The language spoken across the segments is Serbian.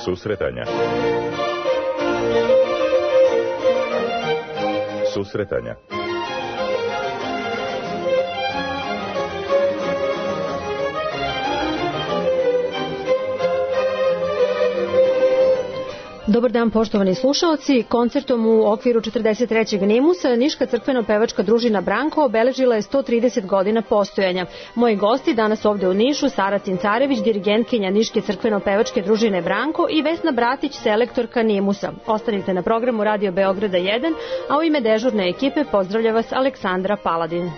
Susretanja. Susretanja. Dobar dan, poštovani slušaoci. Koncertom u okviru 43. Nimusa Niška crkveno-pevačka družina Branko obeležila je 130 godina postojanja. Moji gosti danas ovde u Nišu, Sara Cincarević, dirigentkinja Niške crkveno-pevačke družine Branko i Vesna Bratić, selektorka Nimusa. Ostanite na programu Radio Beograda 1, a u ime dežurne ekipe pozdravlja vas Aleksandra Paladin.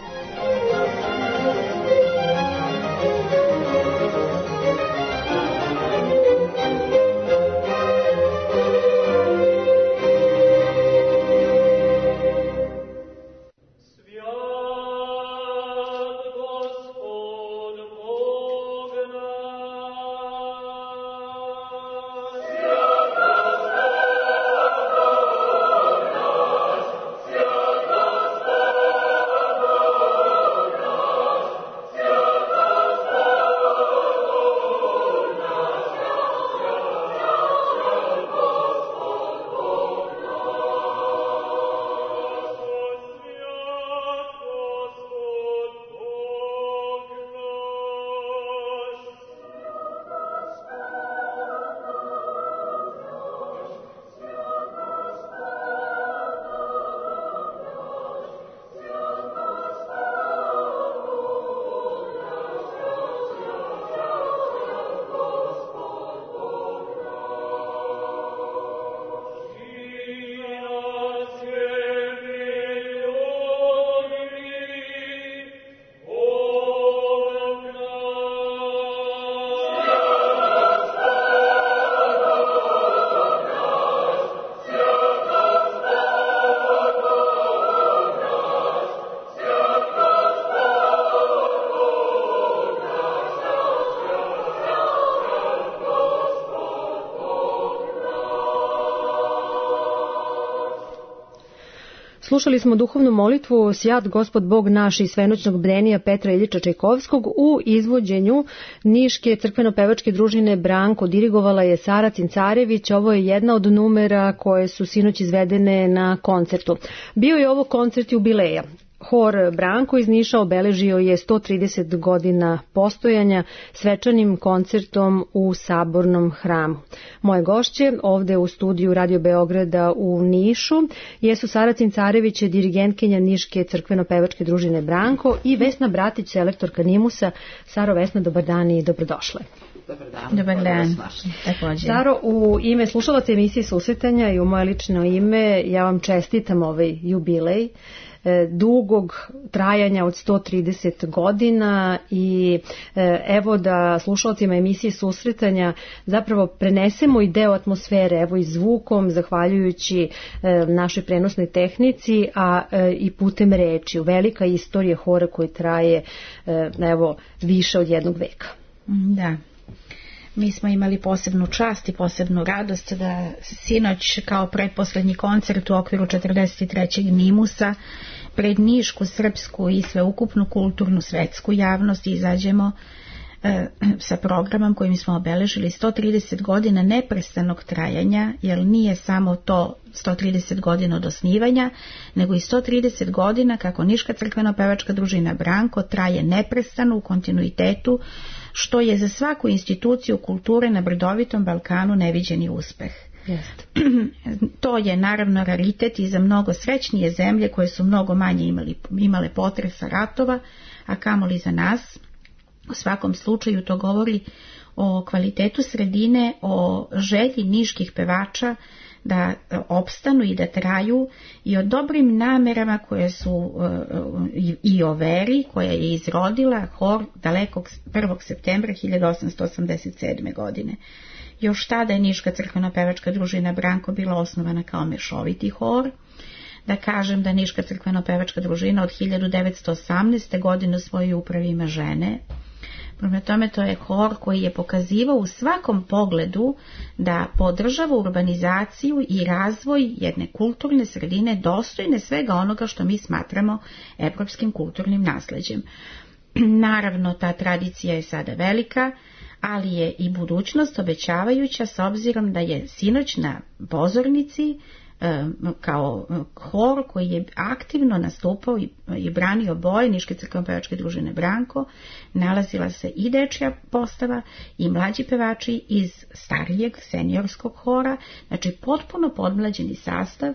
Slušali smo duhovnu molitvu Sjat Gospod Bog naš iz svenoćnog bdenija Petra Iljiča Čajkovskog u izvođenju Niške crkveno-pevačke družine Branko. Dirigovala je Sara Cincarević. Ovo je jedna od numera koje su sinoć izvedene na koncertu. Bio je ovo koncert jubileja. Hor Branko iz Niša obeležio je 130 godina postojanja svečanim koncertom u Sabornom hramu. Moje gošće ovde u studiju Radio Beograda u Nišu jesu Sara Cincarević, dirigentkinja Niške crkveno-pevačke družine Branko i Vesna Bratić, selektorka Nimusa. Saro, Vesna, dobar dan i dobrodošle. Dobar dan. Saro, u ime slušalaca emisije Susretanja i u moje lično ime ja vam čestitam ovaj jubilej dugog trajanja od 130 godina i evo da slušalcima emisije Susretanja zapravo prenesemo i deo atmosfere, evo i zvukom, zahvaljujući našoj prenosnoj tehnici, a i putem reči. Velika istorija hora koji traje evo više od jednog veka. Da. Mi smo imali posebnu čast i posebnu radost da sinoć kao pretposlednji koncert u okviru 43. Nimusa pred nišku, srpsku i sveukupnu kulturnu svetsku javnost izađemo sa programom kojim smo obeležili 130 godina neprestanog trajanja, jer nije samo to 130 godina od osnivanja, nego i 130 godina kako Niška crkveno-pevačka družina Branko traje neprestano u kontinuitetu, što je za svaku instituciju kulture na brdovitom Balkanu neviđeni uspeh. To je naravno raritet i za mnogo srećnije zemlje koje su mnogo manje imale potresa ratova, a kamoli za nas. U svakom slučaju to govori o kvalitetu sredine, o želji niških pevača da opstanu i da traju i o dobrim namerama koje su i o veri koja je izrodila hor dalekog 1. septembra 1887. godine. Još tada je Niška crkveno-pevačka družina Branko bila osnovana kao mešoviti hor. Da kažem da Niška crkveno-pevačka družina od 1918. godine u svojoj upravi ima žene. Prema tome, to je hor koji je pokazivao u svakom pogledu da podržava urbanizaciju i razvoj jedne kulturne sredine dostojne svega onoga što mi smatramo evropskim kulturnim nasleđem. Naravno, ta tradicija je sada velika, ali je i budućnost obećavajuća s obzirom da je sinoć na pozornici kao hor koji je aktivno nastupao i branio boje Niške crkveno-pevačke družine Branko, nalazila se i dečja postava i mlađi pevači iz starijeg seniorskog hora, znači potpuno podmlađeni sastav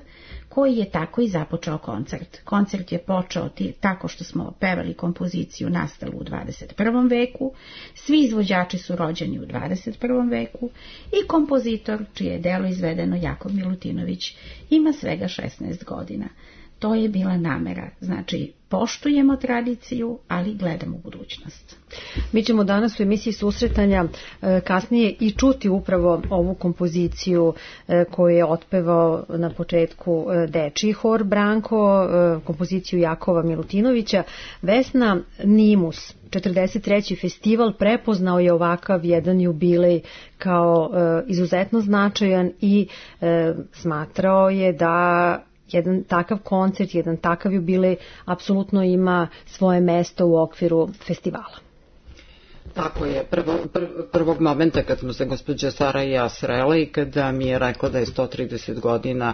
koji je tako i započeo koncert. Koncert je počeo tako što smo pevali kompoziciju nastalu u 21. veku, svi izvođači su rođeni u 21. veku i kompozitor, čije je delo izvedeno Jakov Milutinović, ima svega 16 godina. To je bila namera, znači poštujemo tradiciju, ali gledamo budućnost. Mi ćemo danas u emisiji susretanja kasnije i čuti upravo ovu kompoziciju koju je otpevao na početku dečiji hor Branko, kompoziciju Jakova Milutinovića. Vesna, Nimus, 43. festival prepoznao je ovakav jedan jubilej kao izuzetno značajan i smatrao je da jedan takav koncert, jedan takav jubilej apsolutno ima svoje mesto u okviru festivala. Tako je, prvog momenta kad smo se gospođa Sara i ja srele i kada mi je rekla da je 130 godina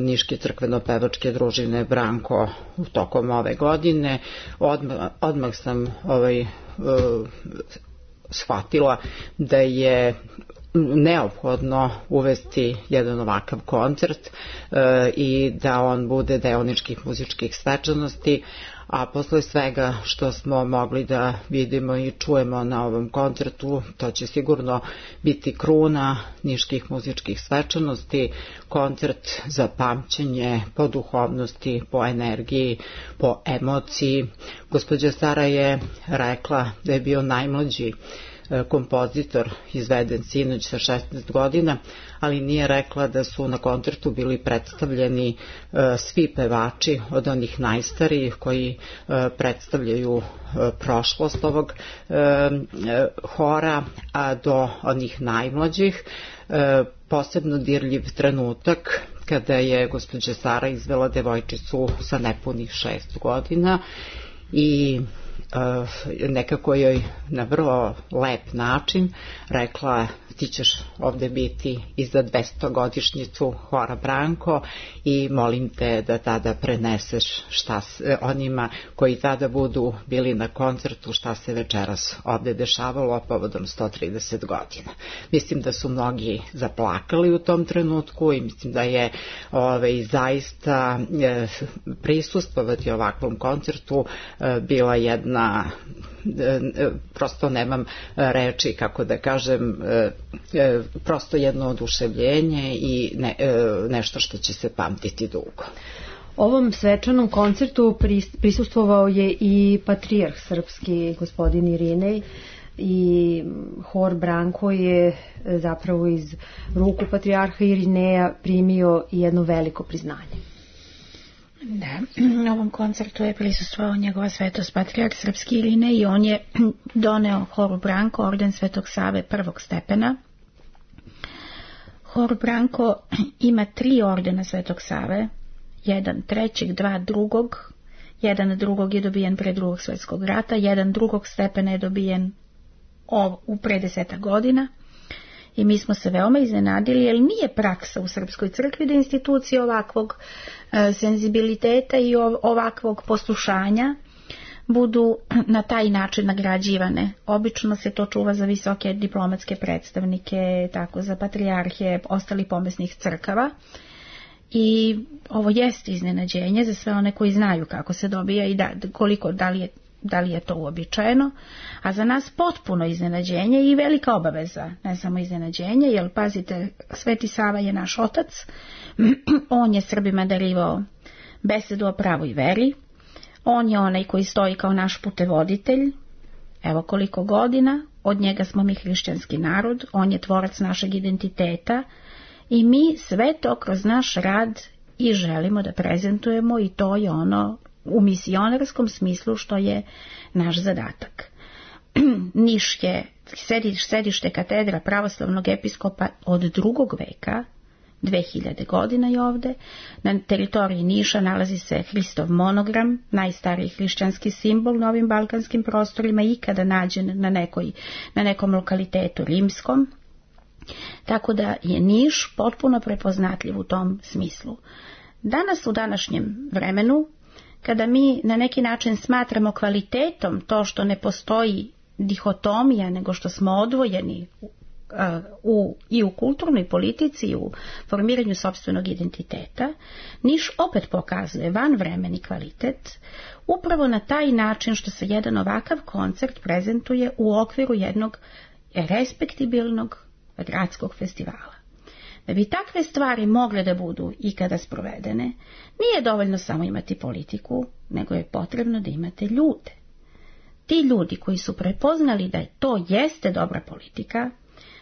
Niške crkveno-pevačke družine Branko tokom ove godine, odmah sam shvatila da je neophodno uvesti jedan ovakav koncert i da on bude deo niških muzičkih svečanosti, a posle svega što smo mogli da vidimo i čujemo na ovom koncertu, to će sigurno biti kruna niških muzičkih svečanosti, koncert za pamćenje po duhovnosti, po energiji, po emociji. Gospođa Sara je rekla da je bio najmlađi kompozitor izveden sinoć sa 16 godina, ali nije rekla da su na koncertu bili predstavljeni svi pevači, od onih najstarijih koji predstavljaju prošlost ovog hora, a do onih najmlađih. Posebno dirljiv trenutak kada je gospođa Sara izvela devojčicu sa nepunih 6 godina i nekako joj na vrlo lep način rekla: ti ćeš ovde biti i za 200-godišnjicu hora Branko i molim te da tada preneseš šta onima koji tada budu bili na koncertu šta se večeras ovde dešavalo povodom 130 godina. Mislim da su mnogi zaplakali u tom trenutku i mislim da je zaista prisustvovati ovakvom koncertu bila jedna, prosto nemam reči kako da kažem, prosto jedno oduševljenje i nešto što će se pamtiti dugo. Ovom svečanom koncertu prisustvovao je i patrijarh srpski gospodin Irinej i hor Branko je zapravo iz ruku patrijarha Irineja primio jedno veliko priznanje. Da, na ovom koncertu je prisustvovao njegova svetost patrijarh srpski Irinej i on je doneo horu Branko orden Svetog Save prvog stepena. Hor Branko ima 3 ordena Svetog Save, jedan trećeg, 2 drugog, jedan drugog je dobijen pre Drugog svjetskog rata, jedan drugog stepena je dobijen u pre 10 godina. I mi smo se veoma iznenadili, jer nije praksa u Srpskoj crkvi da institucije ovakvog senzibiliteta i ovakvog poslušanja budu na taj način nagrađivane. Obično se to čuva za visoke diplomatske predstavnike, tako za patrijarhe, ostali pomesnih crkava. I ovo jeste iznenađenje za sve one koji znaju kako se dobija i da li je to uobičajeno, a za nas potpuno iznenađenje i velika obaveza, ne samo iznenađenje, jer pazite, Sveti Sava je naš otac, on je Srbima darivao besedu o pravoj veri, on je onaj koji stoji kao naš putevoditelj, evo koliko godina, od njega smo mi hrišćanski narod, on je tvorac našeg identiteta i mi sve to kroz naš rad i želimo da prezentujemo i to je ono u misionarskom smislu što je naš zadatak. Niš je sedište katedra pravoslavnog episkopa od 2. veka, 2000 godina je ovde. Na teritoriji Niša nalazi se Hristov monogram, najstariji hrišćanski simbol na ovim balkanskim prostorima ikada nađen na nekom lokalitetu rimskom. Tako da je Niš potpuno prepoznatljiv u tom smislu. Danas u današnjem vremenu, kada mi na neki način smatramo kvalitetom to što ne postoji dihotomija, nego što smo odvojeni i u kulturnoj politici i u formiranju sopstvenog identiteta, Niš opet pokazuje vanvremeni kvalitet upravo na taj način što se jedan ovakav koncert prezentuje u okviru jednog respektibilnog gradskog festivala. Da bi takve stvari mogle da budu ikada sprovedene, nije dovoljno samo imati politiku, nego je potrebno da imate ljude. Ti ljudi koji su prepoznali da to jeste dobra politika,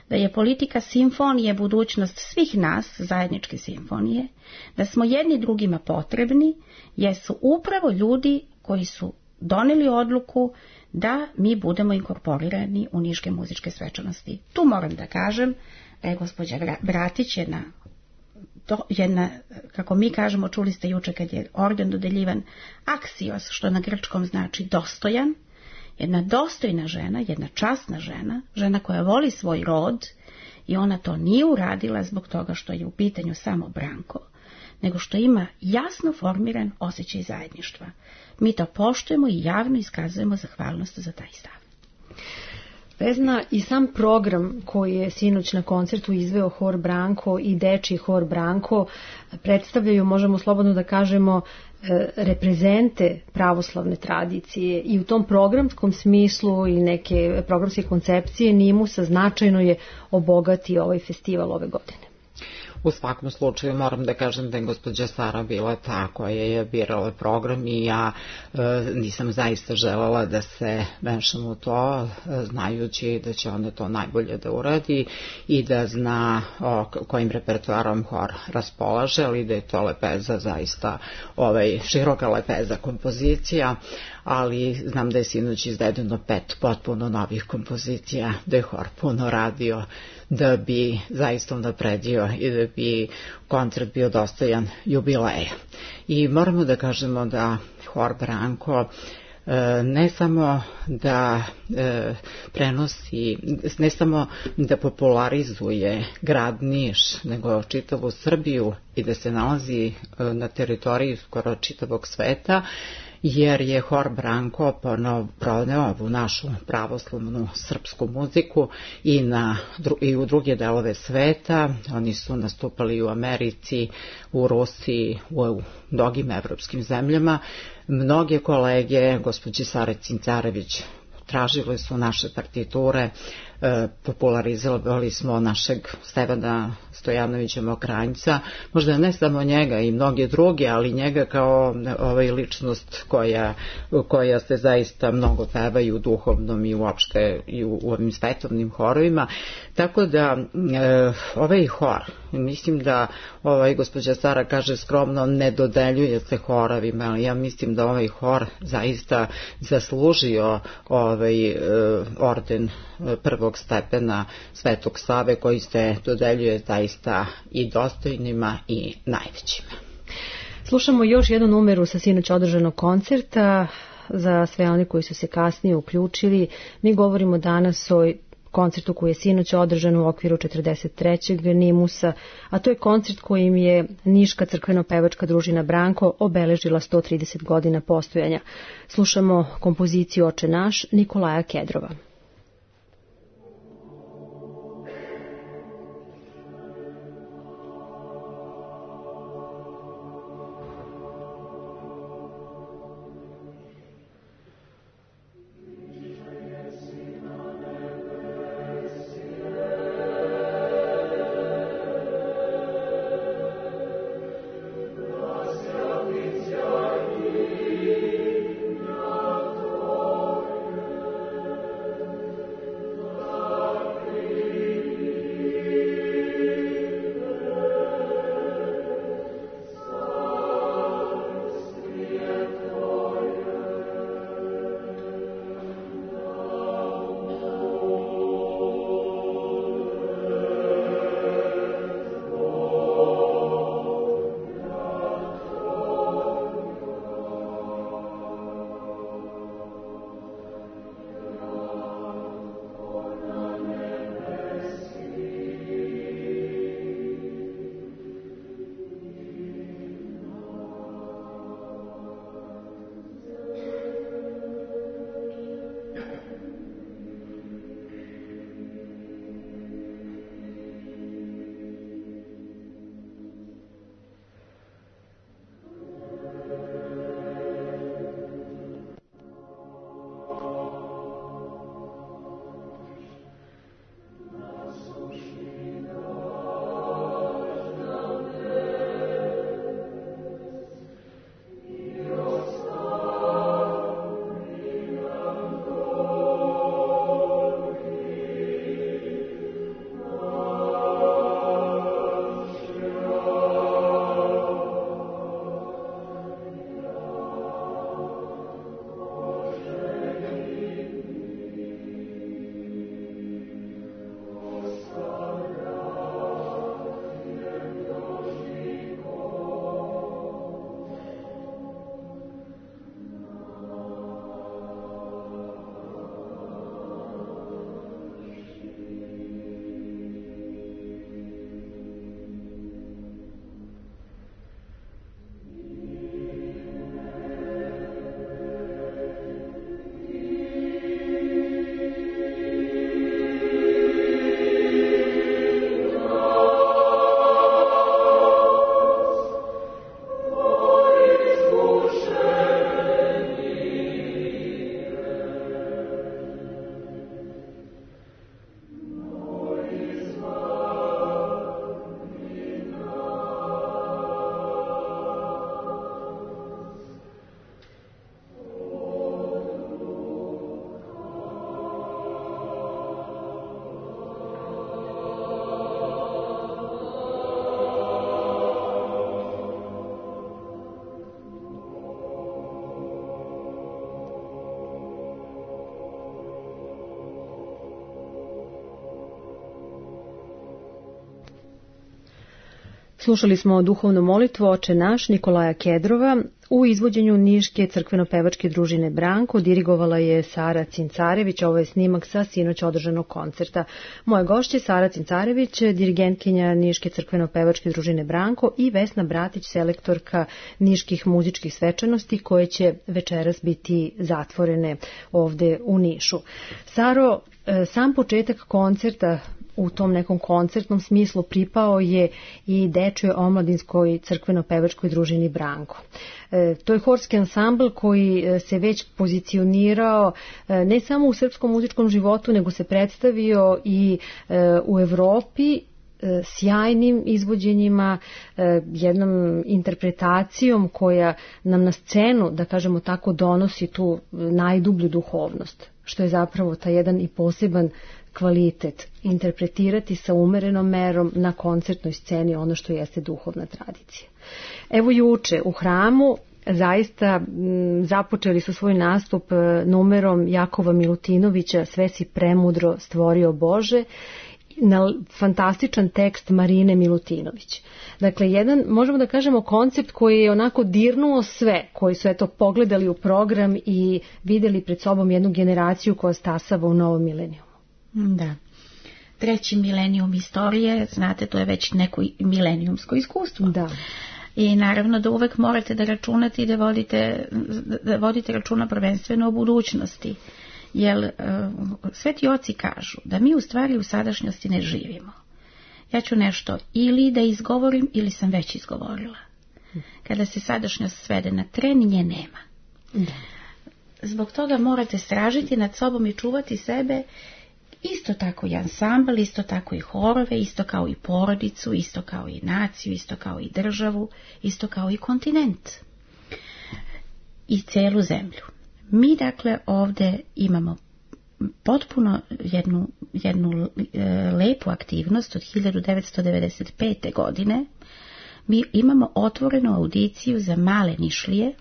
da je politika simfonije budućnost svih nas, zajedničke simfonije, da smo jedni drugima potrebni, jesu upravo ljudi koji su doneli odluku da mi budemo inkorporirani u niške muzičke svečanosti. Tu moram da kažem da je gospođa Bratić jedna, kako mi kažemo, čuli ste juče kad je orden dodeljivan, aksios, što na grčkom znači dostojan, jedna dostojna žena, jedna časna žena, žena koja voli svoj rod, i ona to nije uradila zbog toga što je u pitanju samo Branko, nego što ima jasno formiran osjećaj zajedništva. Mi to poštujemo i javno iskazujemo zahvalnost za taj stav. Vesna, i sam program koji je sinoć na koncertu izveo Hor Branko i Dečiji Hor Branko predstavljaju, možemo slobodno da kažemo, reprezente pravoslavne tradicije, i u tom programskom smislu i neke programske koncepcije Nimusa značajno je obogatio ovaj festival ove godine. U svakom slučaju moram da kažem da je gospođa Sara bila ta koja je birala program i ja nisam zaista želela da se mešam u to, znajući da će ona to najbolje da uradi i da zna kojim repertoarom hor raspolaže, ali da je to lepeza, zaista široka lepeza kompozicija, ali znam da je sinoć izvedeno 5 potpuno novih kompozicija, da je hor puno radio da bi zaista unapredio i da bi koncert bio dostojan jubileja. I moramo da kažemo da Hor Branko ne samo da prenosi, ne samo da popularizuje grad Niš, nego čitavu Srbiju i da se nalazi na teritoriji skoro čitavog sveta, jer je Hor Branko proneo ovu našu pravoslavnu srpsku muziku i u druge delove sveta. Oni su nastupali u Americi, u Rusiji, u mnogim evropskim zemljama. Mnoge kolege, gospođi Sare Cincarević, tražili su naše partiture, popularizovali smo našeg Stevana Stojanovića Mokranjca, možda ne samo njega i mnoge druge, ali njega kao ličnost koja se zaista mnogo peva i u duhovnom i uopšte i u ovim svetovnim horovima. Tako da ovaj hor, mislim da gospođa Sara kaže skromno, ne dodeljuje se horovima, ali ja mislim da ovaj hor zaista zaslužio orden prvog stepena Svetog Save, koji se dodeljuje zaista i dostojnima i najvećima. Slušamo još jednu numeru sa sinoć održanog koncerta. Za sve oni koji su se kasnije uključili, mi govorimo danas o koncertu koji je sinoć održan u okviru 43. Nimusa, a to je koncert kojim je Niška crkveno-pevačka družina Branko obeležila 130 godina postojanja. Slušamo kompoziciju Oče naš Nikolaja Kedrova. Slušali smo duhovnu molitvu Oče naš Nikolaja Kedrova u izvođenju Niške crkveno-pevačke družine Branko. Dirigovala je Sara Cincarević. Ovo je snimak sa sinoć održanog koncerta. Moje gošće Sara Cincarević, dirigentkinja Niške crkveno-pevačke družine Branko, i Vesna Bratić, selektorka niških muzičkih svečanosti, koje će večeras biti zatvorene ovde u Nišu. Saro, sam početak koncerta u tom nekom koncertnom smislu pripao je i Dečjoj omladinskoj crkveno-pevačkoj družini Branko. To je horski ansambl koji se već pozicionirao ne samo u srpskom muzičkom životu, nego se predstavio i u Evropi sjajnim izvođenjima, jednom interpretacijom koja nam na scenu, da kažemo tako, donosi tu najdublju duhovnost, što je zapravo taj jedan i poseban kvalitet, interpretirati sa umerenom merom na koncertnoj sceni ono što jeste duhovna tradicija. Evo juče u hramu zaista započeli su svoj nastup numerom Jakova Milutinovića Sve si premudro stvorio Bože, na fantastičan tekst Marine Milutinović. Dakle, jedan, možemo da kažemo, koncept koji je onako dirnuo sve, koji su eto pogledali u program i videli pred sobom jednu generaciju koja stasava u novom milenijumu. Da. 3. milenijum istorije, znate, to je već neko milenijumsko iskustvo. Da. I naravno da uvek morate da računate i da vodite računa prvenstveno o budućnosti. Jer sveti oci kažu da mi u stvari u sadašnjosti ne živimo. Ja ću nešto ili da izgovorim ili sam već izgovorila. Kada se sadašnjost svede na tren, nje nema. Da. Zbog toga morate stražiti nad sobom i čuvati sebe, isto tako i ansambl, isto tako i horove, isto kao i porodicu, isto kao i naciju, isto kao i državu, isto kao i kontinent i celu zemlju. Mi dakle ovde imamo potpuno jednu lepu aktivnost od 1995. godine. Mi imamo otvorenu audiciju za male Nišlije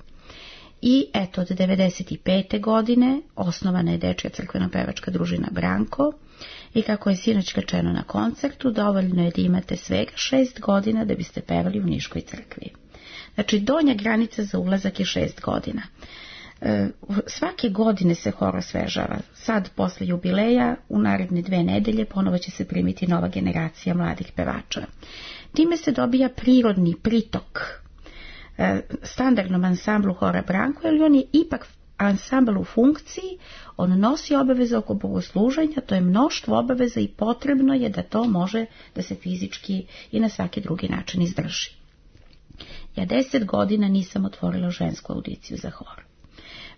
i eto od 1995. godine osnovana je Dečja crkveno-pevačka družina Branko i kako je sinoć rečeno na koncertu, dovoljno je da imate svega 6 godina da biste pevali u Niškoj crkvi. Znači donja granica za ulazak je 6 godina. Svake godine se hor osvežava. Sad posle jubileja u naredne 2 nedelje ponovo će se primiti nova generacija mladih pevača. Time se dobija prirodni pritok standardnom ansamblu hora Branko, jer on je ipak ansambl u funkciji, on nosi obaveze oko bogosluženja, to je mnoštvo obaveza i potrebno je da to može da se fizički i na svaki drugi način izdrži. Ja 10 godina nisam otvorila žensku audiciju za hor.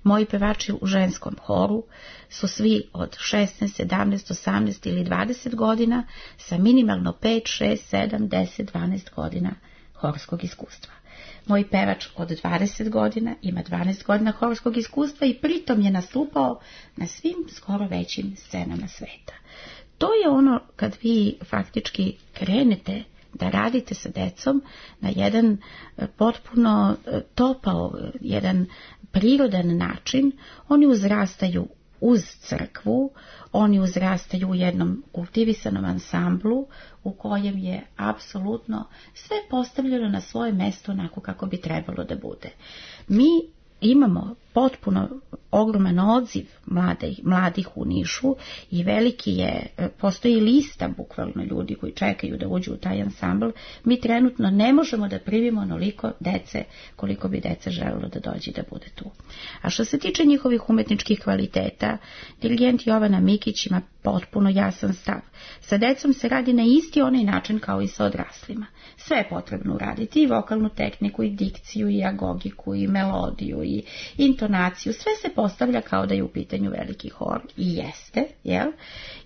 Moji pevači u ženskom horu su svi od 16, 17, 18 ili 20 godina sa minimalno 5, 6, 7, 10, 12 godina horskog iskustva. Moj pevač od 20 godina ima 12 godina horskog iskustva i pritom je nastupao na svim skoro većim scenama sveta. To je ono kad vi faktički krenete da radite sa decom na jedan potpuno topao, jedan prirodan način. Oni uzrastaju uz crkvu, oni uzrastaju u jednom kultivisanom ansamblu u kojem je apsolutno sve postavljeno na svoje mesto onako kako bi trebalo da bude. Mi imamo potpuno ogroman odziv mladih u Nišu i veliki je, postoji lista bukvalno ljudi koji čekaju da uđu u taj ansambl. Mi trenutno ne možemo da primimo onoliko dece koliko bi dece želelo da dođe da bude tu. A što se tiče njihovih umetničkih kvaliteta, dirigent Jovana Mikić ima potpuno jasan stav. Sa decom se radi na isti onaj način kao i sa odraslima. Sve je potrebno uraditi, i vokalnu tehniku, i dikciju, i agogiku, i melodiju, i intonaciju, sve se postavlja kao da je u pitanju veliki hor, i jeste, jel?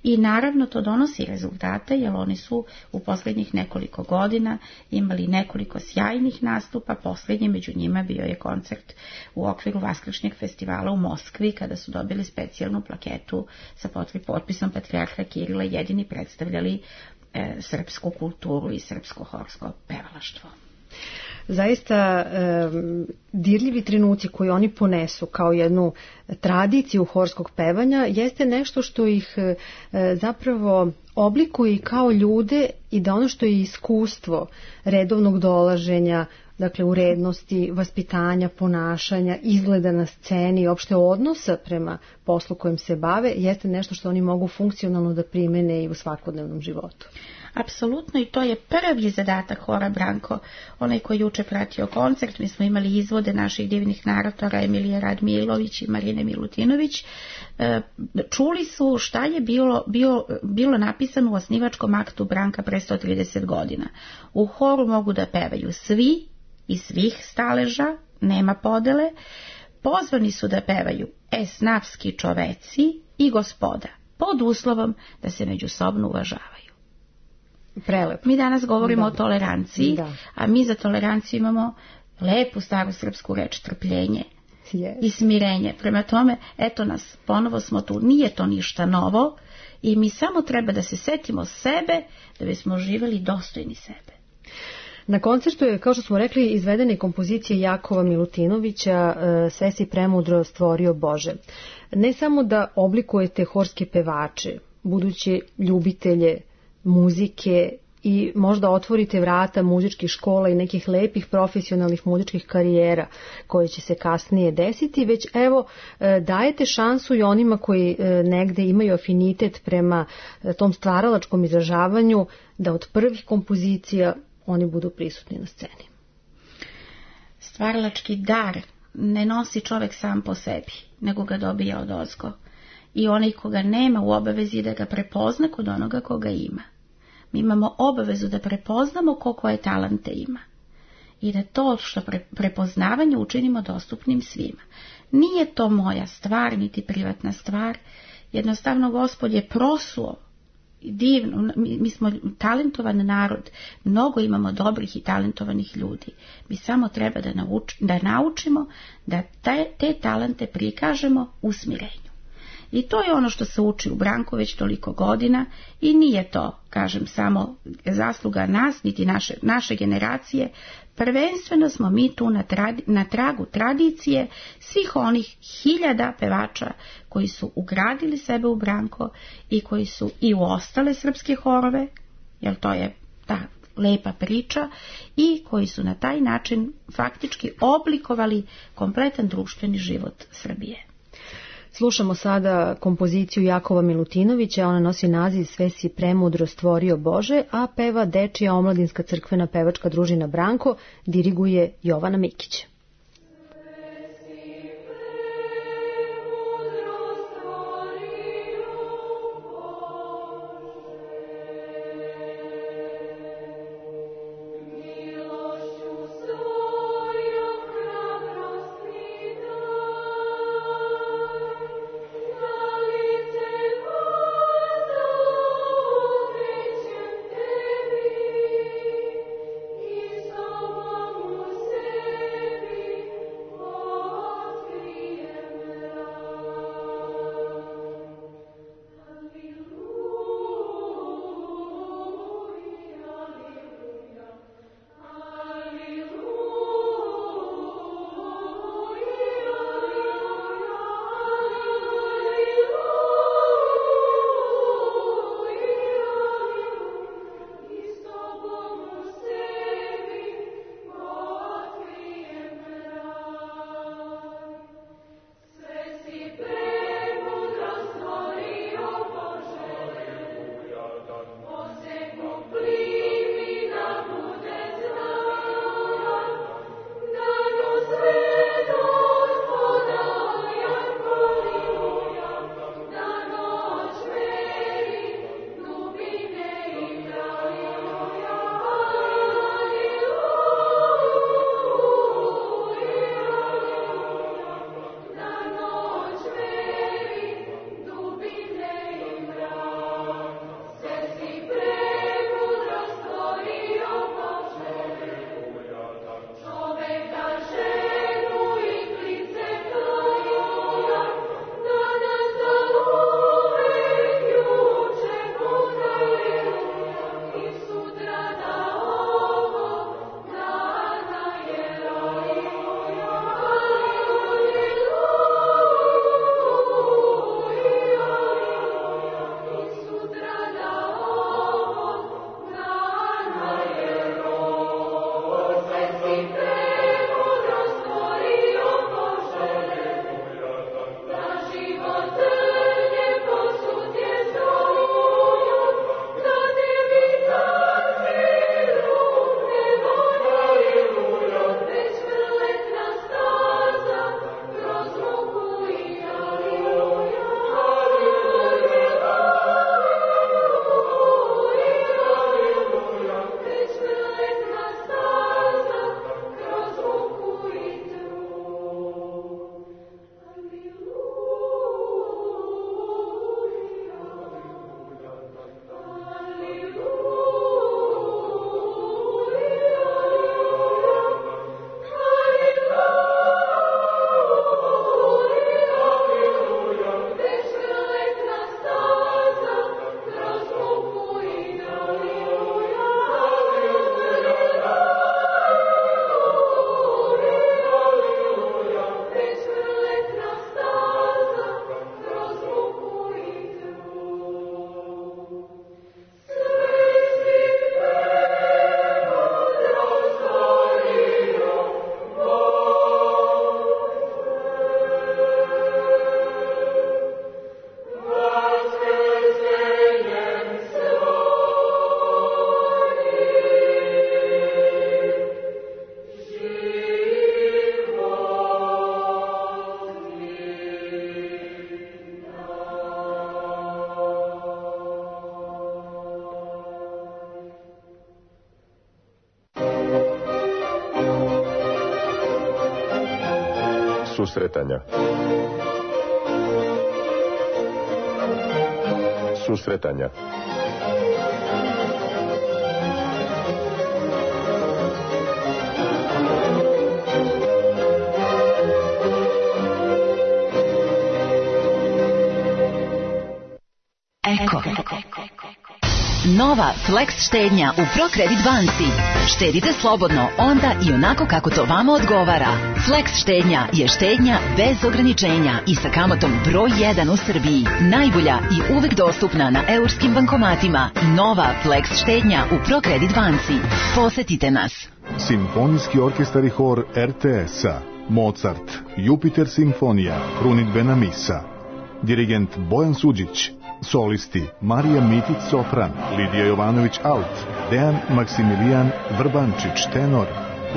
I naravno to donosi rezultate, jer oni su u posljednjih nekoliko godina imali nekoliko sjajnih nastupa. Posljednji među njima bio je koncert u okviru Vaskršnjeg festivala u Moskvi, kada su dobili specijalnu plaketu sa potpisom patrijarha Kirila, jedini predstavljali srpsku kulturu i srpsko horsko pevalaštvo. zaista dirljivi trenuci koji oni ponesu kao jednu tradiciju horskog pevanja jeste nešto što ih zapravo oblikuje kao ljude i da ono što je iskustvo redovnog dolaženja, dakle urednosti, vaspitanja, ponašanja, izgleda na sceni, opšte odnosa prema poslu kojim se bave, jeste nešto što oni mogu funkcionalno da primene i u svakodnevnom životu. Apsolutno, i to je prvi zadatak hora Branko, onaj koji juče pratio koncert. Mi smo imali izvode naših divnih naratora Emilije Radmilović i Marine Milutinović. Čuli su šta je bilo napisano u osnivačkom aktu Branka pre 130 godina. U horu mogu da pevaju svi iz svih staleža, nema podele. Pozvani su da pevaju esnafski čoveci i gospoda, pod uslovom da se međusobno uvažavaju. Prelepo. Mi danas govorimo o toleranciji, a mi za toleranciju imamo lepu staru srpsku reč trpljenje i smirenje. Prema tome, eto nas, ponovo smo tu, nije to ništa novo i mi samo treba da se setimo sebe da bismo živjeli dostojni sebe. Na koncertu je, kao što smo rekli, izvedene kompozicije Jakova Milutinovića Sve si premudro stvorio Bože. Ne samo da oblikujete horske pevače, buduće ljubitelje muzike i možda otvorite vrata muzičkih škola i nekih lepih profesionalnih muzičkih karijera koje će se kasnije desiti, već evo dajete šansu i onima koji negde imaju afinitet prema tom stvaralačkom izražavanju da od prvih kompozicija oni budu prisutni na sceni. Stvaralački dar ne nosi čovek sam po sebi, nego ga dobija odozgo. I onaj koga nema u obavezi da ga prepozna kod onoga koga ima. Mi imamo obavezu da prepoznamo koje talente ima. I da to što prepoznavanje učinimo dostupnim svima. Nije to moja stvar, niti privatna stvar. Jednostavno Gospod je prosuo divno, mi smo talentovan narod, mnogo imamo dobrih i talentovanih ljudi. Mi samo treba da naučimo da te talente prikažemo u smirenju. I to je ono što se uči u Branku već toliko godina i nije to, kažem, samo zasluga nas, niti naše generacije. Prvenstveno smo mi tu na tragu tradicije svih onih hiljada pevača koji su ugradili sebe u Branko i koji su i u ostale srpske horove, jer to je ta lepa priča, i koji su na taj način faktički oblikovali kompletan društveni život Srbije. Slušamo sada kompoziciju Jakova Milutinovića, ona nosi naziv Sve si premudro stvorio Bože, a peva Dečija omladinska crkvena pevačka družina Branko, diriguje Jovana Mikić. Thank you. Susretanja. Susretanja. Eko. Nova Flex štednja u ProCredit banci. Štedite slobodno onda i onako kako to vama odgovara. Flex štednja je štednja bez ograničenja i sa kamatom broj 1 u Srbiji. Najbolja i uvek dostupna na eurskim bankomatima. Nova Flex štednja u ProCredit banci. Posetite nas. Simfonijski orkestar i hor RTS-a, Mozart, Jupiter simfonija, krunidbena misa. Dirigent Bojan Suđić. Solisti Marija Mitić sopran, Lidija Jovanović alt, Dejan Maksimilijan Vrbančić tenor,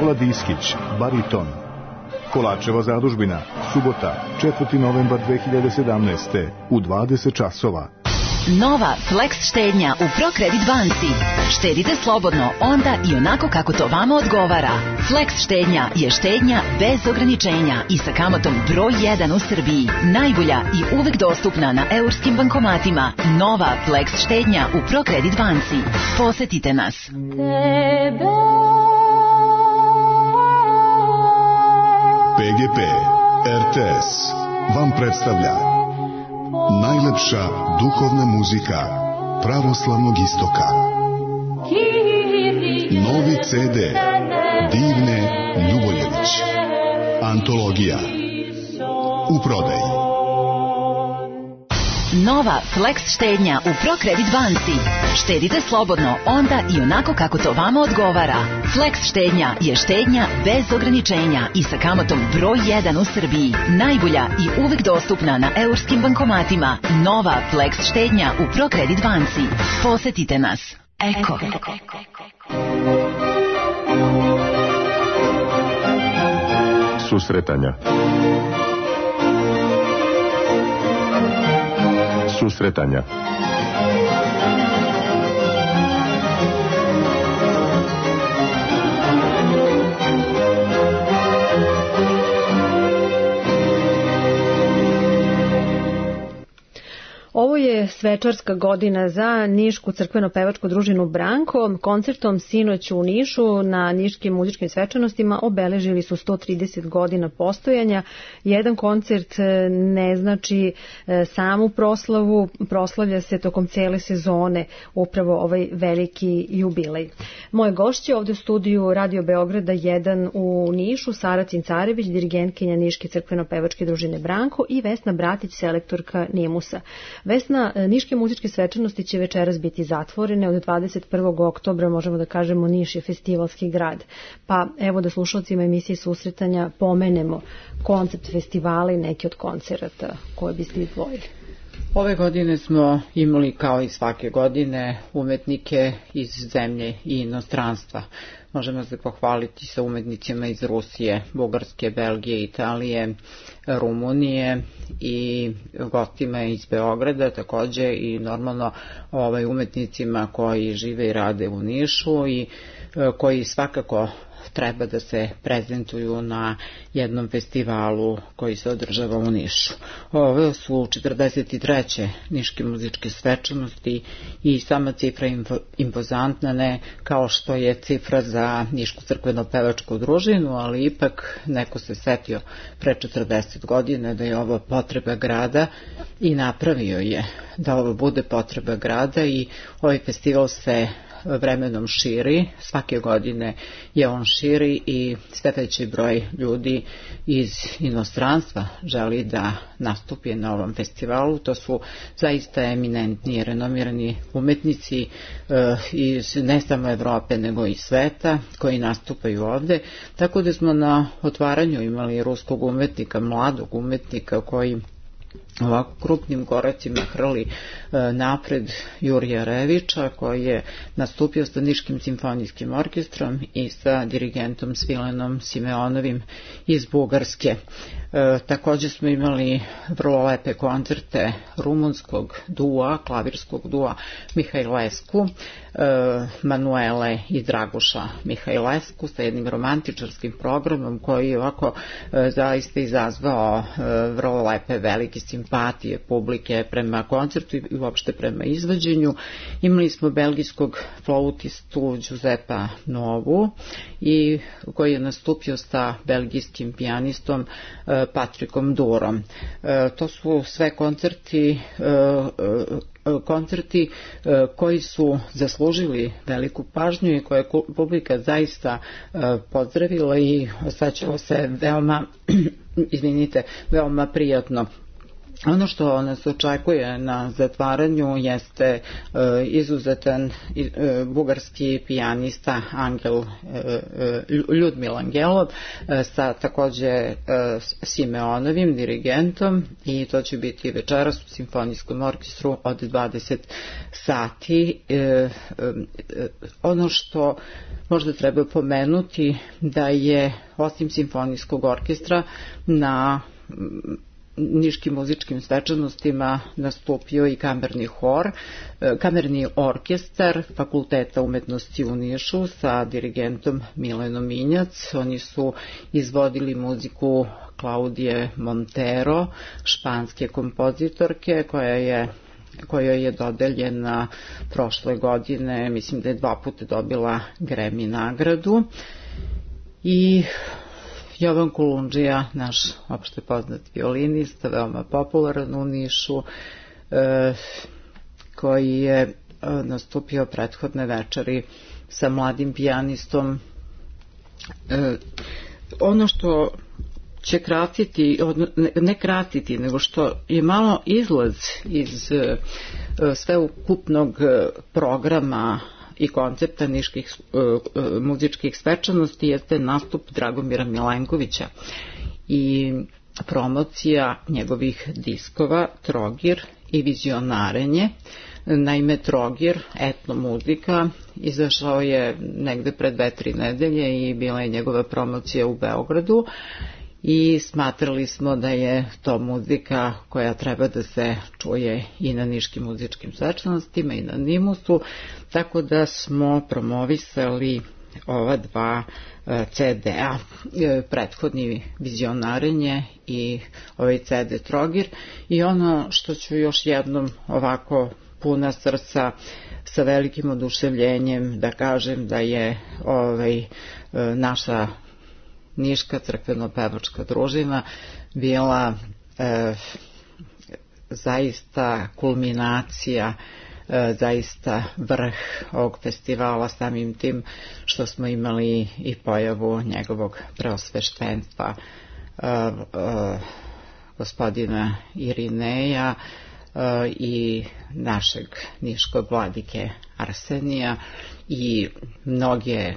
Vladiskić bariton. Kolačeva zadužbina, subota, 4. novembar 2017. u 20 časova. Nova Flex štednja u ProCredit banci. Štedite slobodno onda i onako kako to vama odgovara. Flex štednja je štednja bez ograničenja i sa kamatom broj 1 u Srbiji. Najbolja i uvek dostupna na eurskim bankomatima. Nova Flex štednja u ProCredit banci. Posetite nas. PGP RTS vam predstavlja najlepša duhovna muzika pravoslavnog istoka. Novi CD Divne Ljubojević. Antologija. U prodaji. Nova Flex štednja u ProCredit banci. Štedite slobodno onda i onako kako to vama odgovara. Flex štednja je štednja bez ograničenja i sa kamatom broj 1 u Srbiji. Najbolja i uvek dostupna na eurskim bankomatima. Nova Flex štednja u ProCredit banci. Posetite nas. Eko. Susretanja. Susretanja. Ovo je svečarska godina za Nišku crkveno-pevačku družinu Branko. Koncertom sinoć u Nišu na niškim muzičkim svečanostima obeležili su 130 godina postojanja. Jedan koncert ne znači samu proslavu, proslavlja se tokom cele sezone upravo ovaj veliki jubilej. Moje gošće ovdje u studiju Radio Beograda 1 u Nišu, Sara Cincarević, dirigentkinja Niške crkveno-pevačke družine Branko i Vesna Bratić, selektorka Nimusa. Vesna, niške muzičke svečanosti će večeras biti zatvorene. Od 21. oktobra možemo da kažemo Niš je festivalski grad. Pa evo da slušalcima emisije Susretanja pomenemo koncept festivala i neki od koncerata koje biste izdvojili. Ove godine smo imali kao i svake godine umetnike iz zemlje i inostranstva. Možemo se pohvaliti sa umetnicima iz Rusije, Bugarske, Belgije, Italije, Rumunije i gostima iz Beograda takođe i normalno umetnicima koji žive i rade u Nišu i koji svakako treba da se prezentuju na jednom festivalu koji se održava u Nišu. Ove su 43. niške muzičke svečanosti i sama cifra impozantna, ne kao što je cifra za Nišku crkveno-pevačku družinu, ali ipak neko se setio pre 40 godina da je ovo potreba grada i napravio je da ovo bude potreba grada i ovaj festival se vremenom širi, svake godine je on širi i sve veći broj ljudi iz inostranstva želi da nastupi na ovom festivalu. To su zaista eminentni i renomirani umetnici iz ne samo Evrope nego i sveta koji nastupaju ovde, tako da smo na otvaranju imali ruskog umetnika, mladog umetnika koji ovako krupnim koracima hrli napred Jurija Revića, koji je nastupio sa Niškim simfonijskim orkestrom i sa dirigentom Svilenom Simeonovim iz Bugarske. Takođe smo imali vrlo lepe koncerte rumunskog dua, klavirskog dua Mihajlescu, Manuele i Draguša Mihajlescu sa jednim romantičarskim programom koji je ovako zaista izazvao vrlo lepe velike simpatije publike prema koncertu i uopšte prema izvođenju. Imali smo belgijskog flautistu Giuseppa Novu i koji je nastupio sa belgijskim pijanistom Patrikom Durom. To su sve koncerti koji su zaslužili veliku pažnju i koje je publika zaista pozdravila i osjećalo se veoma prijatno. Ono što nas očekuje na zatvaranju jeste izuzetan bugarski pijanista Ljudmila Angelov sa takođe Simeonovim dirigentom i to će biti večeras u simfonijskom orkestru od 20 sati. Ono što možda treba pomenuti da je osim simfonijskog orkestra na niškim muzičkim svečanostima nastupio i kamerni orkestar Fakulteta umetnosti u Nišu sa dirigentom Milenom Minjac. Oni su izvodili muziku Klaudije Montero, španske kompozitorke kojoj je dodeljena prošle godine, mislim da je 2 puta dobila Grammy nagradu. I Jovan Kulundžija, naš opšte poznat violinista, veoma popularan u Nišu, koji je nastupio prethodne večeri sa mladim pijanistom. Ono što će ne kratiti, nego što je malo izlaz iz sveukupnog programa i koncepta niških muzičkih svečanosti jeste nastup Dragomira Milenkovića i promocija njegovih diskova Trogir i Vizionarenje. Naime, Trogir, etno muzika, izašao je negde pred 2-3 nedelje i bila je njegova promocija u Beogradu i smatrali smo da je to muzika koja treba da se čuje i na niškim muzičkim svečanostima i na Nimusu, tako da smo promovisali ova 2 CD-a, prethodni Vizionarenje i ovaj CD Trogir. I ono što ću još jednom ovako puna srca sa velikim oduševljenjem da kažem da je naša Niška crkveno-pevačka družina bila zaista kulminacija, zaista vrh ovog festivala, samim tim što smo imali i pojavu njegovog preosveštenstva gospodina Irineja i našeg niškog vladike Arsenija i mnoge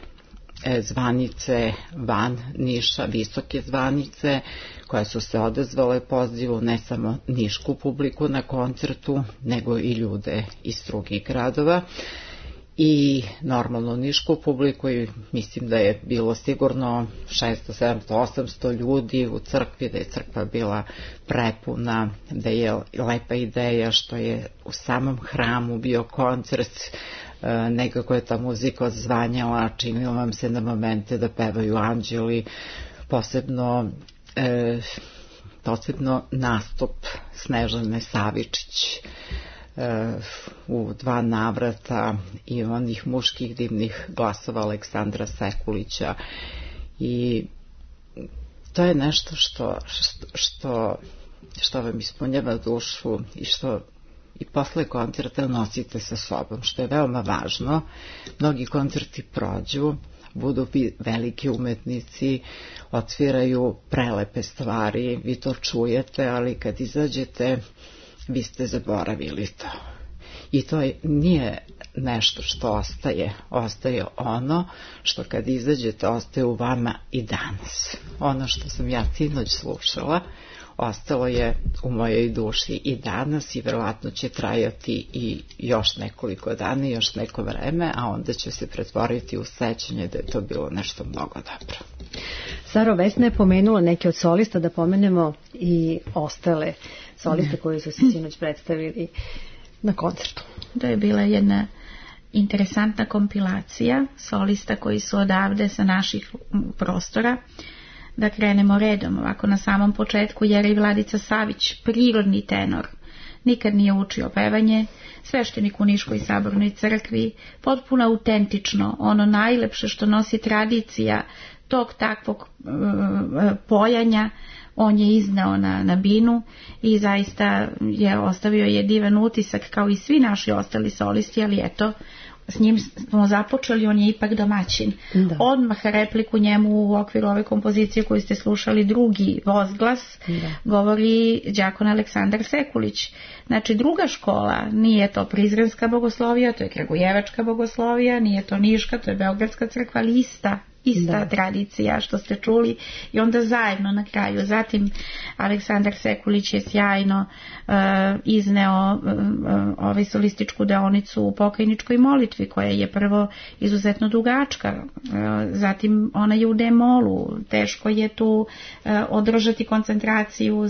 zvanice van Niša, visoke zvanice koje su se odazvale pozivu, ne samo nišku publiku na koncertu, nego i ljude iz drugih gradova i normalno nišku publiku. I mislim da je bilo sigurno 600, 700, 800 ljudi u crkvi, da je crkva bila prepuna, da je lepa ideja što je u samom hramu bio koncert. Nekako je ta muzika odzvanjala, činilo vam se na momente da pevaju anđeli, posebno nastup Snežane Savičić u 2 navrata i onih muških divnih glasova Aleksandra Sekulića. I to je nešto što vam ispunjava dušu i što i posle koncerta nosite sa sobom, što je veoma važno. Mnogi koncerti prođu, budu veliki umetnici, odsviraju prelepe stvari, vi to čujete, ali kad izađete, vi ste zaboravili to. I to nije nešto što ostaje ono što kad izađete ostaje u vama i danas. Ono što sam ja sinoć slušala ostalo je u mojoj duši i danas i verovatno će trajati i još nekoliko dana, još neko vreme, a onda će se pretvoriti u sećanje da je to bilo nešto mnogo dobro. Saro, Vesna je pomenula neke od solista, da pomenemo i ostale soliste koji su se sinoć predstavili na koncertu. To je bila jedna interesantna kompilacija solista koji su odavde sa naših prostora. Da krenemo redom, ovako na samom početku Jerej Vladica Savić, prirodni tenor, nikad nije učio pevanje, sveštenik u Niškoj sabornoj crkvi, potpuno autentično, ono najlepše što nosi tradicija tog takvog pojanja, on je izneo na binu i zaista je ostavio je divan utisak kao i svi naši ostali solisti, ali eto, s njim smo započeli, on je ipak domaćin. Da. Odmah repliku njemu u okviru ove kompozicije koju ste slušali, drugi vozglas, govori đakon Aleksandar Sekulić. Znači druga škola, nije to Prizrenska bogoslovija, to je Kragujevačka bogoslovija, nije to Niška, to je Beogradska crkva, ali ista tradicija što ste čuli i onda zajedno na kraju. Zatim Aleksandar Sekulić je sjajno izneo ovaj solističku deonicu u pokajničkoj molitvi koja je prvo izuzetno dugačka, zatim ona je u D-molu, teško je tu održati koncentraciju,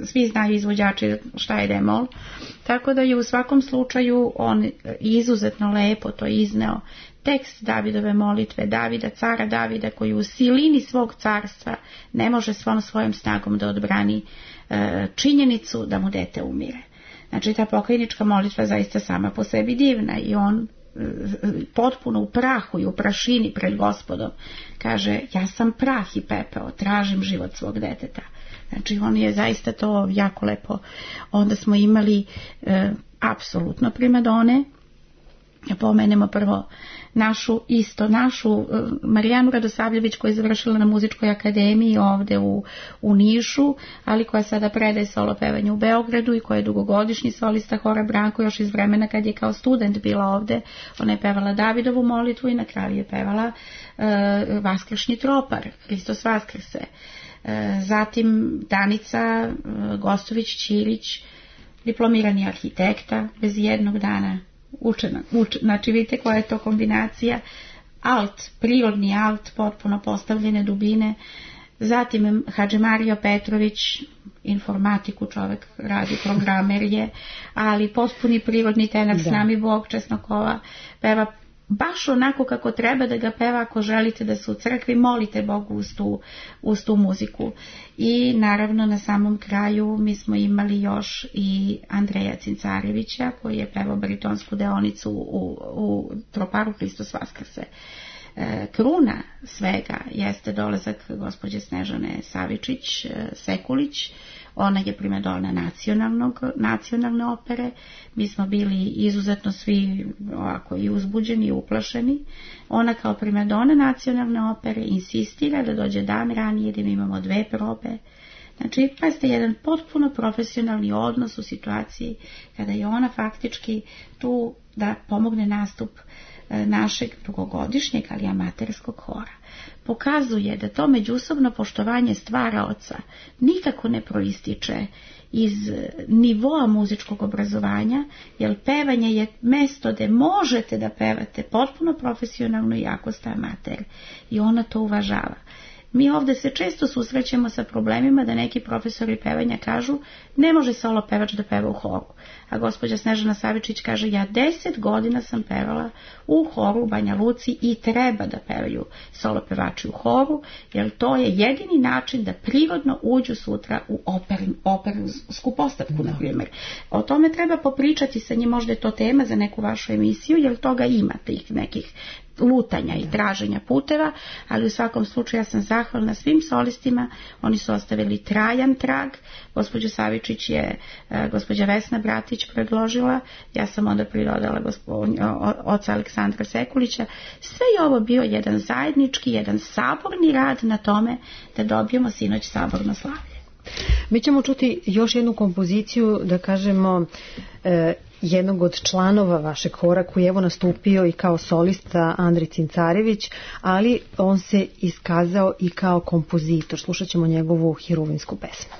svi znaju izvođači šta je D-mol, tako da je u svakom slučaju on izuzetno lepo to izneo. Tekst Davidove molitve, Davida, cara Davida, koji u silini svog carstva ne može svom svojom snagom da odbrani činjenicu da mu dete umire. Znači ta pokajnička molitva zaista sama po sebi divna i on potpuno u prahu i u prašini pred Gospodom kaže, ja sam prah i pepeo, tražim život svog deteta. Znači on je zaista to jako lepo. Onda smo imali apsolutno primadone. Pomenemo prvo našu Marijanu Radosavljević koja je završila na muzičkoj akademiji ovde u Nišu, ali koja sada predaje solo pevanje u Beogradu i koja je dugogodišnji solista hora Branko još iz vremena kad je kao student bila ovde. Ona je pevala Davidovu molitvu i na kraju je pevala Vaskršnji tropar, Hristos Vaskrse. Zatim Danica Gostović-Ćirić, diplomirani arhitekta, bez jednog dana učena. Znači vidite koja je to kombinacija, prirodni alt, potpuno postavljene dubine. Zatim Hadži Mario Petrović, informatiku čovek radi, programer je, ali potpuni prirodni tenor, s nami Bog Česnokova, peva baš onako kako treba da ga peva. Ako želite da se u crkvi, molite Bogu uz tu muziku. I naravno na samom kraju mi smo imali još i Andreja Cincarevića koji je pevao baritonsku deonicu u troparu Hristos Vaskrse. Kruna svega jeste dolazak gospođe Snežane Savičić Sekulić. Ona je primadona nacionalne opere. Mi smo bili izuzetno svi ovako i uzbuđeni i uplašeni. Ona kao primadona nacionalne opere insistira da dođe dan ranije, da mi imamo 2 probe. Znači, pazite, jedan potpuno profesionalni odnos u situaciji kada je ona faktički tu da pomogne nastup našeg dugogodišnjeg, ali amaterskog hora. Pokazuje da to međusobno poštovanje stvaraoca nikako ne proističe iz nivoa muzičkog obrazovanja, jer pevanje je mesto gde možete da pevate potpuno profesionalno i ako ste amater. I ona to uvažava. Mi ovde se često susrećemo sa problemima da neki profesori pevanja kažu ne može solo pevač da peva u horu. A gospođa Snežana Savičić kaže ja 10 godina sam pevala u horu u Banja Luci i treba da pevaju solo pevači u horu, jer to je jedini način da prirodno uđu sutra u opersku postavku, na primjer. O tome treba popričati sa njim, možda je to tema za neku vašu emisiju, jer toga ima tih nekih lutanja i traženja puteva, ali u svakom slučaju ja sam zahvalna svim solistima, oni su ostavili trajan trag. Gospođu Savičić je gospođa Vesna Bratić predložila, ja sam onda pridodala oca Aleksandra Sekulića. Sve je ovo bio jedan zajednički, jedan saborni rad na tome da dobijemo sinoć saborno slavlje. Mi ćemo čuti još jednu kompoziciju, da kažemo, jednog od članova vašeg hora koji je evo nastupio i kao solista, Andrej Cincarević, ali on se iskazao i kao kompozitor. Slušat ćemo njegovu Hiruvinsku pesmu.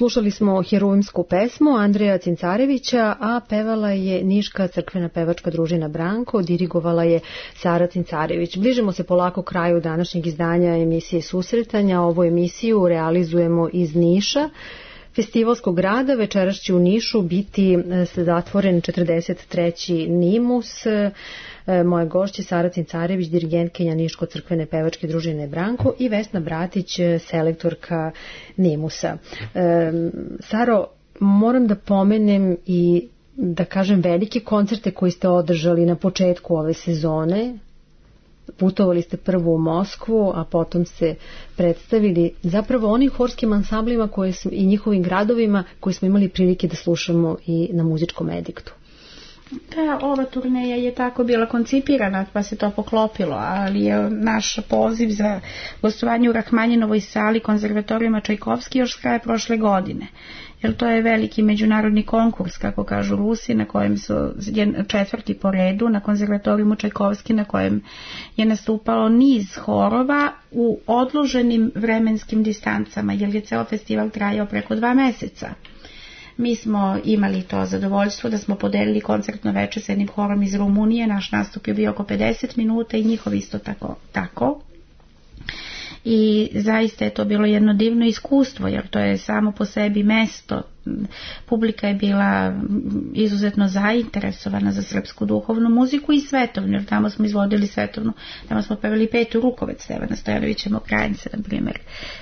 Slušali smo heruvimsku pesmu Andreja Cincarevića, a pevala je Niška crkvena pevačka družina Branko, dirigovala je Sara Cincarević. Bližimo se polako kraju današnjeg izdanja emisije Susretanja. Ovu emisiju realizujemo iz Niša, festivalskog grada. Večeras će u Nišu biti zatvoren 43. Nimus. Moje gošće Sara Cincarević, dirigentkinja Niško-crkvene pevačke družine Branko, i Vesna Bratić, selektorka Nimusa. Saro, moram da pomenem i da kažem velike koncerte koje ste održali na početku ove sezone. Putovali ste prvo u Moskvu, a potom ste predstavili zapravo onim horskim ansamblima i njihovim gradovima koje smo imali prilike da slušamo i na muzičkom ediktu. Da, ova turneja je tako bila koncipirana, pa se to poklopilo, ali je naš poziv za gostovanje u Rahmanjinovoj sali konzervatorijuma Čajkovski još s kraja prošle godine. Jer to je veliki međunarodni konkurs, kako kažu Rusi, na kojem su 4. po redu na konzervatorijumu Čajkovski, na kojem je nastupalo niz horova u odloženim vremenskim distancama, jer je ceo festival trajao preko 2 meseca. Mi smo imali to zadovoljstvo da smo podelili koncertno veče s jednim horom iz Rumunije. Naš nastup je bio oko 50 minuta i njihov isto tako. I zaista je to bilo jedno divno iskustvo, jer to je samo po sebi mesto. Publika je bila izuzetno zainteresovana za srpsku duhovnu muziku i svetovnu, jer tamo smo izvodili svetovnu, tamo smo pevali Petu Rukovec Stevana Stojanovića Mokranjca, na primjer.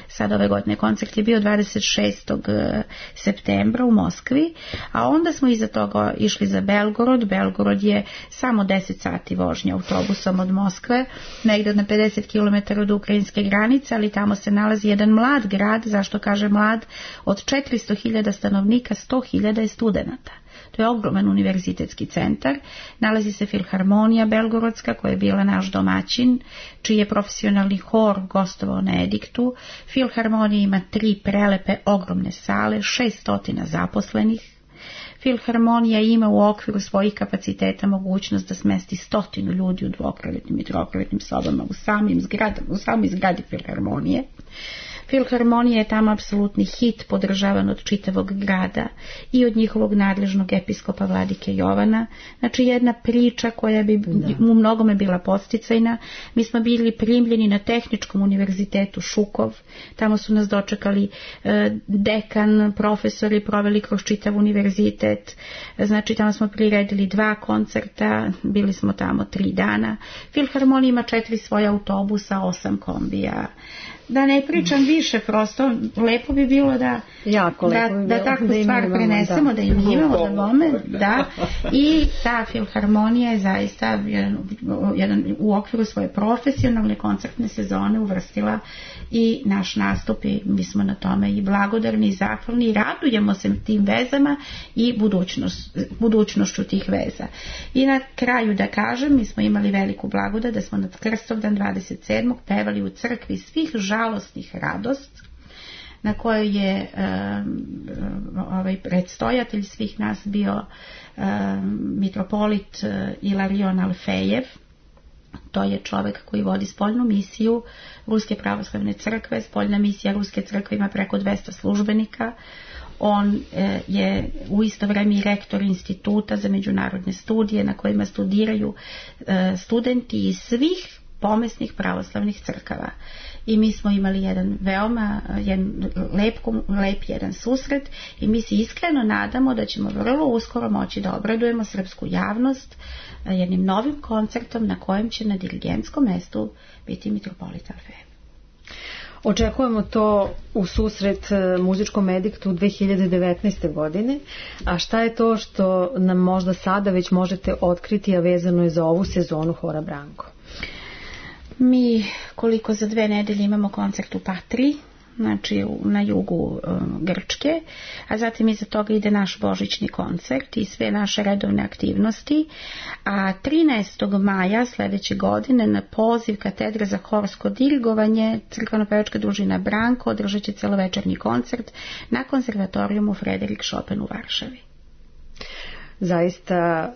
Sad ove godine koncert je bio 26. septembra u Moskvi, a onda smo iza toga išli za Belgorod. Belgorod je samo 10 sati vožnje autobusom od Moskve, negdje na 50 km od ukrajinske granice, ali tamo se nalazi jedan mlad grad. Zašto kaže mlad? Od 400.000 stanovnika 100.000 je studenata. To je ogroman univerzitetski centar. Nalazi se Filharmonija Belgorodska, koja je bila naš domaćin, čiji je profesionalni hor gostovao na ediktu. Filharmonija ima 3 prelepe ogromne sale, 600 zaposlenih. Filharmonija ima u okviru svojih kapaciteta mogućnost da smesti 100 ljudi u dvokrevetnim i trokrevetnim sobama u samoj zgradi Filharmonije. Filharmonija je tamo apsolutni hit, podržavan od čitavog grada i od njihovog nadležnog episkopa vladike Jovana. Znači jedna priča koja bi u mnogome bila podsticajna. Mi smo bili primljeni na Tehničkom univerzitetu Šukov. Tamo su nas dočekali dekan, profesori, proveli kroz čitav univerzitet. Znači tamo smo priredili 2 koncerta, bili smo tamo 3 dana. Filharmonija ima 4 svoja autobusa, 8 kombija. Da ne pričam više, prosto lepo bi bilo da takvu stvar prenesemo, da im imamo, da bome, da. I ta Filharmonija je zaista u okviru svoje profesionalne koncertne sezone uvrstila i naš nastup, i mi smo na tome i blagodarni i zahvalni i radujemo se tim vezama i budućnošću tih veza. I na kraju da kažem, mi smo imali veliku blagodat da smo na Krstovdan 27. pevali u crkvi svih žalostnih radost, na kojoj je predstojatelj svih nas bio mitropolit Ilarion Alfejev. To je čovjek koji vodi spoljnu misiju Ruske pravoslavne crkve. Spoljna misija Ruske crkve ima preko 200 službenika. On je u isto vrijeme i rektor instituta za međunarodne studije na kojima studiraju studenti iz svih pomesnih pravoslavnih crkava. I mi smo imali jedan veoma lep jedan susret i mi se iskreno nadamo da ćemo vrlo uskoro moći da obradujemo srpsku javnost jednim novim koncertom na kojem će na dirigentskom mestu biti mitropolit Alfejev. Očekujemo to u susret muzičkom ediktu 2019. godine. A šta je to što nam možda sada već možete otkriti, a vezano je za ovu sezonu hora Branko? Mi koliko za 2 nedelje imamo koncert u Patriji, znači na jugu Grčke, a zatim iza toga ide naš božićni koncert i sve naše redovne aktivnosti. A 13. maja sledeće godine na poziv Katedre za horsko dirigovanje crkveno-pevačka družina Branko održat će celovečernji koncert na konzervatorijumu Frederik Chopin u Varšavi. zaista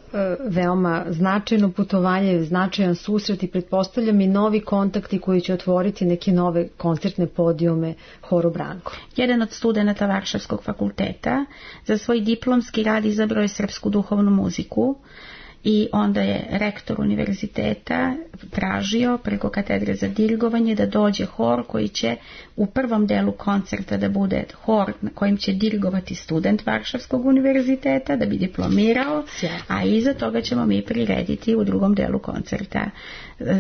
veoma značajno putovanje, značajan susret i pretpostavljam i novi kontakti koji će otvoriti neke nove koncertne podijume Horu Branko. Jedan od studenata Varšavskog fakulteta za svoj diplomski rad izabrao je srpsku duhovnu muziku i onda je rektor univerziteta tražio preko katedre za dirigovanje da dođe hor koji će u prvom delu koncerta da bude hor na kojim će dirigovati student Varšavskog univerziteta da bi diplomirao, a iza toga ćemo mi prirediti u drugom delu koncerta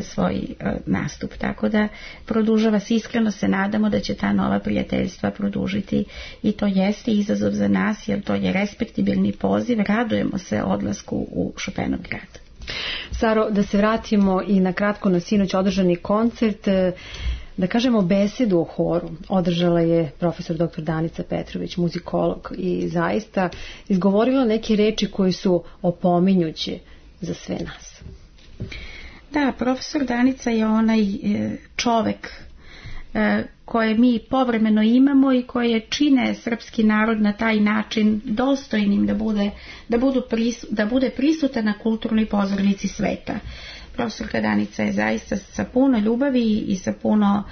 svoj nastup. Tako da produžava se, iskreno se nadamo da će ta nova prijateljstva produžiti i to jeste izazov za nas jer to je respektibilni poziv, radujemo se odlasku u Chopinov grad. Saro, da se vratimo i na kratko na sinoć održani koncert, da kažemo besedu o horu održala je profesor dr. Danica Petrović, muzikolog, i zaista izgovorila neke reči koje su opominjuće za sve nas. Da, profesor Danica je onaj čovek koje mi povremeno imamo i koje čine srpski narod na taj način dostojnim da bude prisutan na kulturnoj pozornici sveta. Profesorka Danica je zaista sa puno ljubavi i sa puno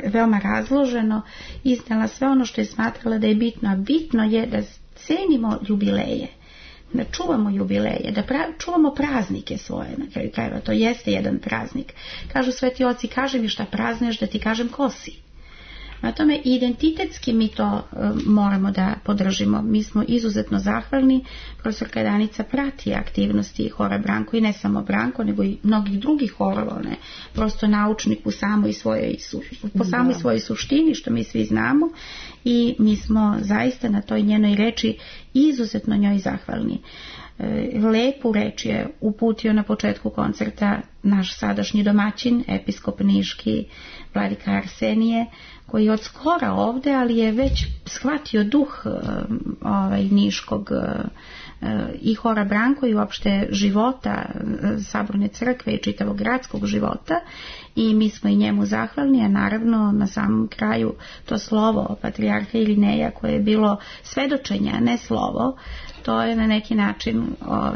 veoma razloženo iznala sve ono što je smatrala da je bitno, a bitno je da cenimo jubileje, da čuvamo jubileje, da čuvamo praznike svoje, na kraju krajeva, to jeste jedan praznik. Kažu sveti oci, kaži mi šta prazneš da ti kažem ko si. Na tome identitetski mi to moramo da podržimo. Mi smo izuzetno zahvalni. Profesorka Danica prati aktivnosti Hora Branko i ne samo Branko, nego i mnogih drugih horova. Ona je prosto naučnik po samoj svojoj suštini, što mi svi znamo, i mi smo zaista na toj njenoj reči izuzetno njoj zahvalni. Lepu reč je uputio na početku koncerta naš sadašnji domaćin, episkop niški, vladika Arsenije, koji je od skora ovde, ali je već shvatio duh niškog i Hora Branko i uopšte života Saborne crkve i čitavog gradskog života, i mi smo i njemu zahvalni, a naravno na samom kraju to slovo patrijarha Irineja koje je bilo svedočenje, a ne slovo, to je na neki način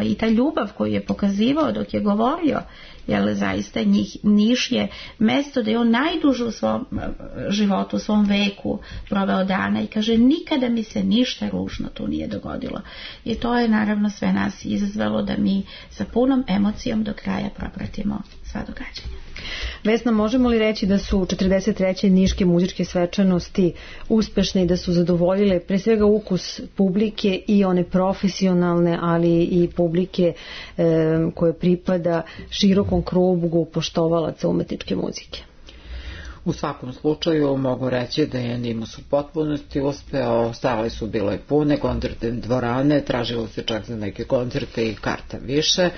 i ta ljubav koju je pokazivao dok je govorio, jer zaista Niš je mesto da je on najduže u svom životu, u svom veku proveo dana, i kaže nikada mi se ništa ružno tu nije dogodilo. I to je naravno sve nas izazvalo da mi sa punom emocijom do kraja propratimo sva događanja. Vesna, možemo li reći da su 43. niške muzičke svečanosti uspešne i da su zadovoljile pre svega ukus publike i one profesionalne, ali i publike koje pripada širokom krugu poštovalaca umetničke muzike? U svakom slučaju mogu reći da je Nimus u potpunosti uspeo, sale su bile pune, koncertne dvorane, tražilo se čak za neke koncerte i karta više,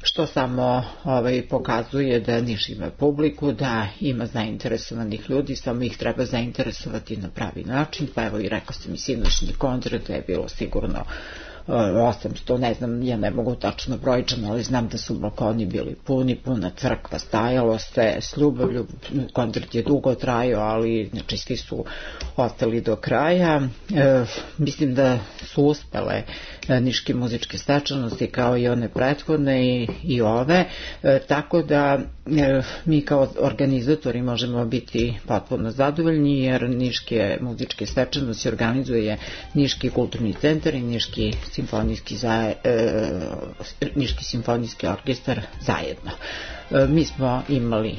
što samo pokazuje da Niš ima publiku, da ima zainteresovanih ljudi, samo ih treba zainteresovati na pravi način. Pa evo i rekao sam i sinoćni koncert, je bilo sigurno 800, ne znam, ja ne mogu tačno brojčano, ali znam da su balkoni bili puni, puna crkva, stajalo se s ljubavlju, koncert je dugo trajao, ali znači svi su ostali do kraja. Mislim da su uspele niške muzičke svečanosti kao i one prethodne i ove, tako da mi kao organizatori možemo biti potpuno zadovoljni, jer niške muzičke svečanosti organizuje Niški kulturni centar i Niški simfonijski orkestar zajedno. Mi smo imali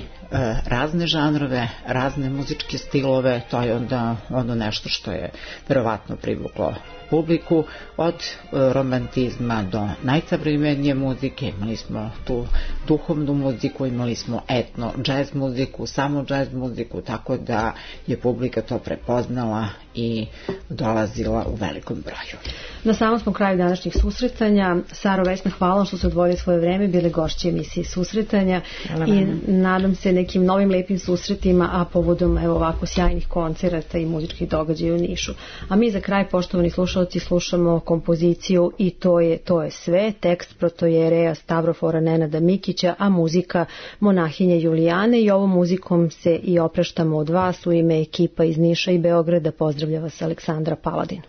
razne žanrove, razne muzičke stilove, to je onda ono nešto što je verovatno privuklo publiku, od romantizma do najsavremenije muzike. Imali smo tu duhovnu muziku, imali smo etno džez muziku, samo džez muziku, tako da je publika to prepoznala i dolazila u velikom broju. Na samom smo kraju današnjih susretanja. Saro, Vesna, hvala što ste odvojili svoje vreme, bile gošće emisije Susretanja i nadam se nekim novim lepim susretima, a povodom ovako sjajnih koncerata i muzičkih događaja u Nišu. A mi za kraj, poštovani slušalci, slušamo kompoziciju I to je sve, tekst protojereja Stavrofora Nenada Mikića, a muzika monahinje Julijane, i ovom muzikom se i opraštamo od vas u ime ekipa iz Niša i Beograda. Pozdravlja vas Aleksandra Paladin.